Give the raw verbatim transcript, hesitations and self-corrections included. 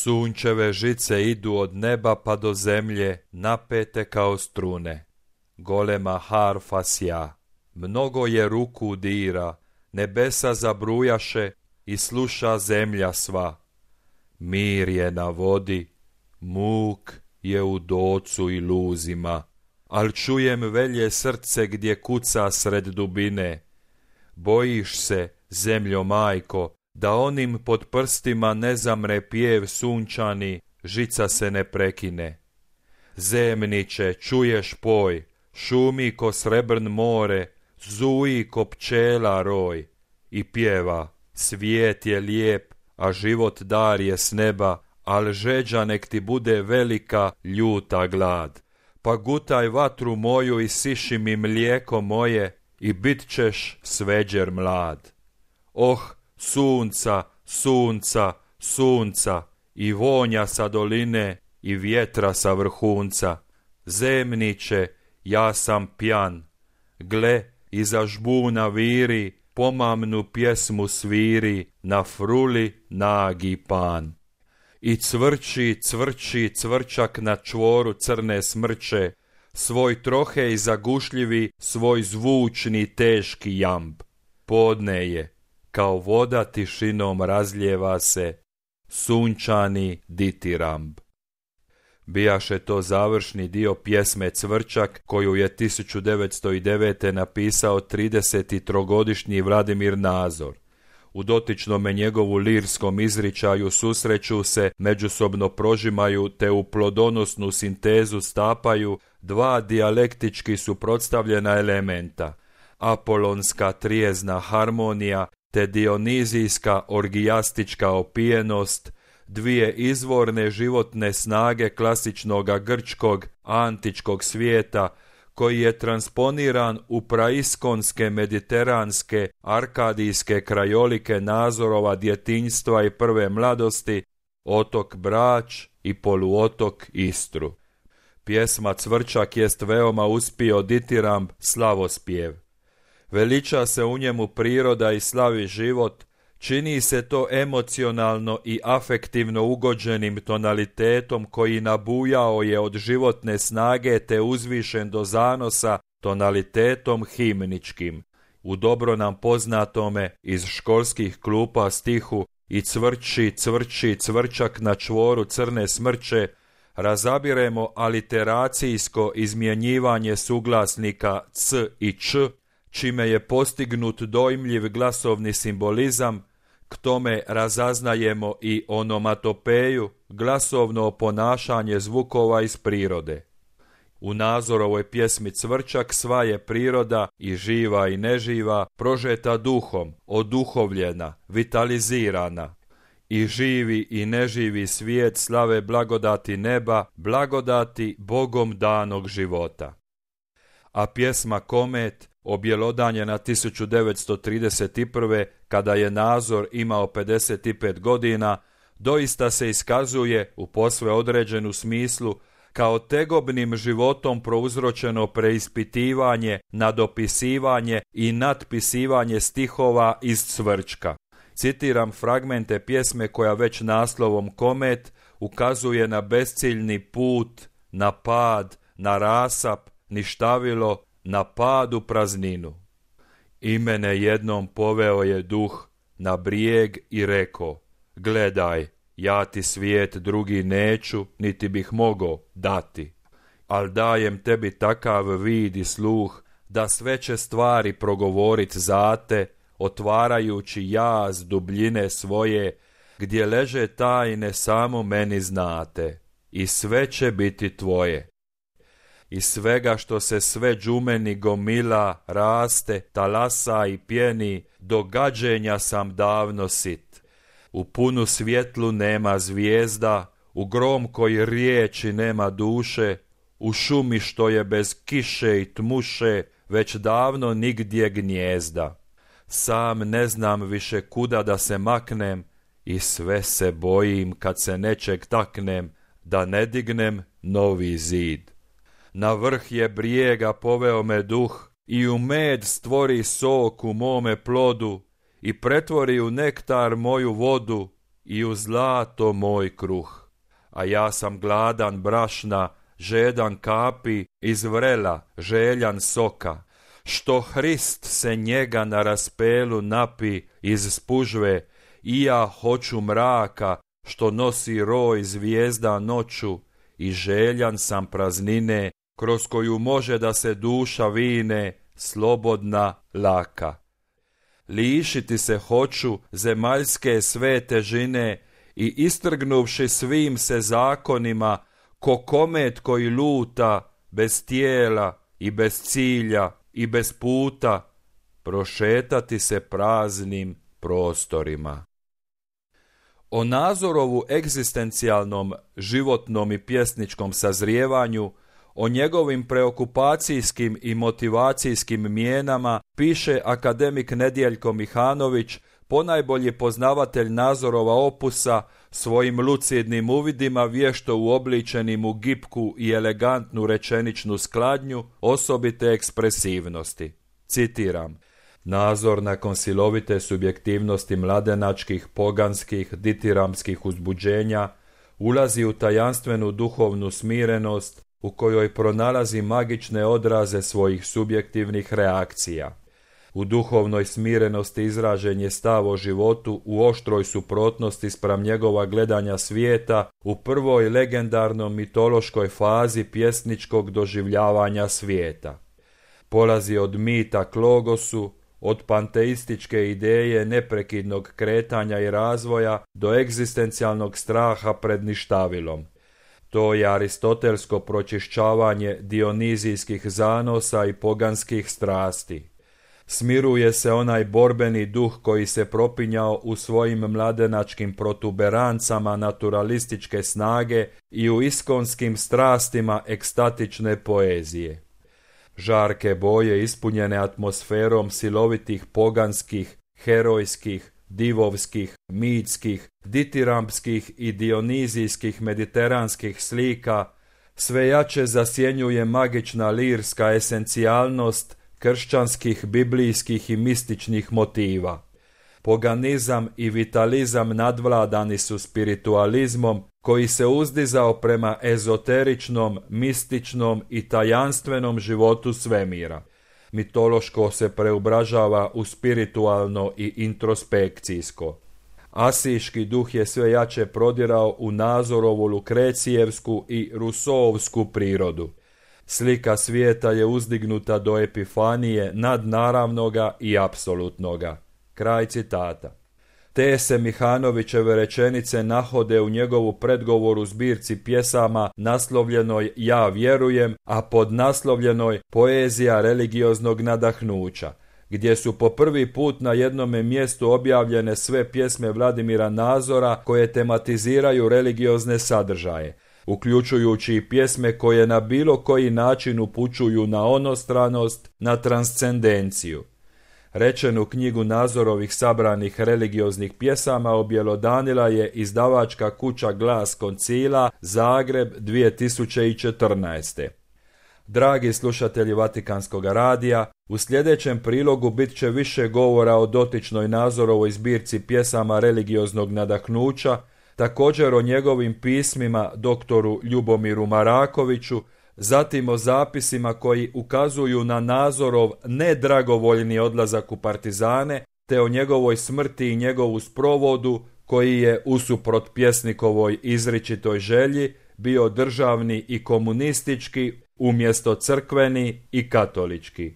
Sunčeve žice idu od neba pa do zemlje, napete kao strune. Golema harfa sja, mnogo je ruku dira, nebesa zabrujaše i sluša zemlja sva. Mir je na vodi, muk je u docu i luzima, al čujem velje srce gdje kuca sred dubine. Bojiš se, zemljo majko, da onim pod prstima ne zamre pjev sunčani, žica se ne prekine. Zemniče, čuješ poj, šumi ko srebrn more, zuji ko pčela roj i pjeva, svijet je lijep, a život dar je s neba, al žeđa nek ti bude velika, ljuta glad. Pa gutaj vatru moju i siši mi mlijeko moje i bit ćeš sveđer mlad. Oh, sunca, sunca, sunca i vonja sa doline i vjetra sa vrhunca. Zemniče, ja sam pjan. Gle, iza žbuna viri, pomamnu pjesmu sviri, na fruli nagi pan. I cvrči, cvrči cvrčak na čvoru crne smrče, svoj trohej zagušljivi, svoj zvučni teški jamb. Podne je, kao voda tišinom razljeva se, sunčani ditiramb. Bijaše to završni dio pjesme Cvrčak, koju je tisuću devetsto devete. napisao tridesettrogodišnji Vladimir Nazor. U dotičnome njegovu lirskom izričaju susreću se, međusobno prožimaju te u plodonosnu sintezu stapaju dva dijalektički suprotstavljena elementa, apolonska trijezna harmonija te dionizijska orgijastička opijenost, dvije izvorne životne snage klasičnoga grčkog antičkog svijeta, koji je transponiran u praiskonske, mediteranske, arkadijske krajolike Nazorova djetinjstva i prve mladosti, otok Brač i poluotok Istru. Pjesma Cvrčak jest veoma uspio ditiramb slavospjev. Veliča se u njemu priroda i slavi život, čini se to emocionalno i afektivno ugođenim tonalitetom koji nabujao je od životne snage te uzvišen do zanosa tonalitetom himničkim. U dobro nam poznatome iz školskih klupa stihu i cvrči, cvrči, cvrčak na čvoru crne smrče razabiremo aliteracijsko izmjenjivanje suglasnika c i č, čime je postignut dojmljiv glasovni simbolizam. K tome razaznajemo i onomatopeju, glasovno oponašanje zvukova iz prirode. U Nazorovoj pjesmi Cvrčak sva je priroda, i živa i neživa, prožeta duhom, oduhovljena, vitalizirana. I živi i neživi svijet slave blagodati neba, blagodati Bogom danog života. A pjesma Komet, objelodanjena tisuću devetsto trideset prve. kada je Nazor imao pedeset pet godina, doista se iskazuje u posve određenu smislu kao tegobnim životom prouzročeno preispitivanje, nadopisivanje i natpisivanje stihova iz Cvrčka. Citiram fragmente pjesme koja već naslovom Komet ukazuje na besciljni put, na pad, na rasap, ništavilo, na pad u prazninu. I mene jednom poveo je duh na brijeg i reko, gledaj, ja ti svijet drugi neću, niti bih mogao dati, al dajem tebi takav vid i sluh, da sve će stvari progovorit za te, otvarajući jaz dubljine svoje, gdje leže tajne samo meni znate, i sve će biti tvoje. I svega što se sve džumeni gomila, raste, talasa i pjeni, do gađenja sam davno sit. U punu svjetlu nema zvijezda, u grom koji riječi nema duše, u šumi što je bez kiše i tmuše, već davno nigdje gnjezda. Sam ne znam više kuda da se maknem i sve se bojim kad se nečeg taknem, da ne dignem novi zid. Na vrh je brijega poveo me duh i u med stvori sok u mome plodu i pretvori u nektar moju vodu i u zlato moj kruh. A ja sam gladan brašna, žedan kapi, iz vrela, željan soka. Što Hrist se njega na raspelu napi iz spužve, i ja hoću mraka, što nosi roj zvijezda noću, i željan sam praznine, kroz koju može da se duša vine, slobodna, laka. Lišiti se hoću zemaljske sve težine i istrgnuvši svim se zakonima, ko komet koji luta, bez tijela i bez cilja i bez puta, prošetati se praznim prostorima. O Nazorovu egzistencijalnom, životnom i pjesničkom sazrijevanju, o njegovim preokupacijskim i motivacijskim mijenama piše akademik Nedjeljko Mihanović, ponajbolji poznavatelj Nazorova opusa, svojim lucidnim uvidima vješto uobličenim u gipku i elegantnu rečeničnu skladnju osobite ekspresivnosti. Citiram: Nazor nakon silovite subjektivnosti mladenačkih, poganskih, ditiramskih uzbuđenja ulazi u tajanstvenu duhovnu smirenost u kojoj pronalazi magične odraze svojih subjektivnih reakcija. U duhovnoj smirenosti izražen je stav o životu u oštroj suprotnosti spram njegova gledanja svijeta u prvoj legendarnom mitološkoj fazi pjesničkog doživljavanja svijeta. Polazi od mita k logosu, od panteističke ideje neprekidnog kretanja i razvoja do egzistencijalnog straha pred ništavilom. To je aristotelsko pročišćavanje dionizijskih zanosa i poganskih strasti. Smiruje se onaj borbeni duh koji se propinjao u svojim mladenačkim protuberancama naturalističke snage i u iskonskim strastima ekstatične poezije. Žarke boje ispunjene atmosferom silovitih poganskih, herojskih, divovskih, mitskih, ditirampskih i dionizijskih mediteranskih slika sve jače zasjenjuje magična lirska esencijalnost kršćanskih, biblijskih i mističnih motiva. Poganizam i vitalizam nadvladani su spiritualizmom koji se uzdizao prema ezoteričnom, mističnom i tajanstvenom životu svemira. Mitološko se preobražava u spiritualno i introspekcijsko. Asiški duh je sve jače prodirao u Nazorovu lukrecijevsku i rusoovsku prirodu. Slika svijeta je uzdignuta do epifanije nadnaravnoga i apsolutnoga. Kraj citata. Te se Mihanovićeve rečenice nahode u njegovu predgovoru zbirci pjesama naslovljenoj Ja vjerujem, a podnaslovljenoj Poezija religioznog nadahnuća, gdje su po prvi put na jednome mjestu objavljene sve pjesme Vladimira Nazora koje tematiziraju religiozne sadržaje, uključujući i pjesme koje na bilo koji način upućuju na onostranost, na transcendenciju. Rečenu knjigu Nazorovih sabranih religioznih pjesama objelodanila je izdavačka kuća Glas Koncila, Zagreb, dvije tisuće četrnaeste. Dragi slušatelji Vatikanskog radija, u sljedećem prilogu bit će više govora o dotičnoj Nazorovoj zbirci pjesama religioznog nadahnuća, također o njegovim pismima doktoru Ljubomiru Marakoviću, zatim o zapisima koji ukazuju na Nazorov nedragovoljni odlazak u partizane, te o njegovoj smrti i njegovu sprovodu koji je, usuprot pjesnikovoj izričitoj želji, bio državni i komunistički umjesto crkveni i katolički.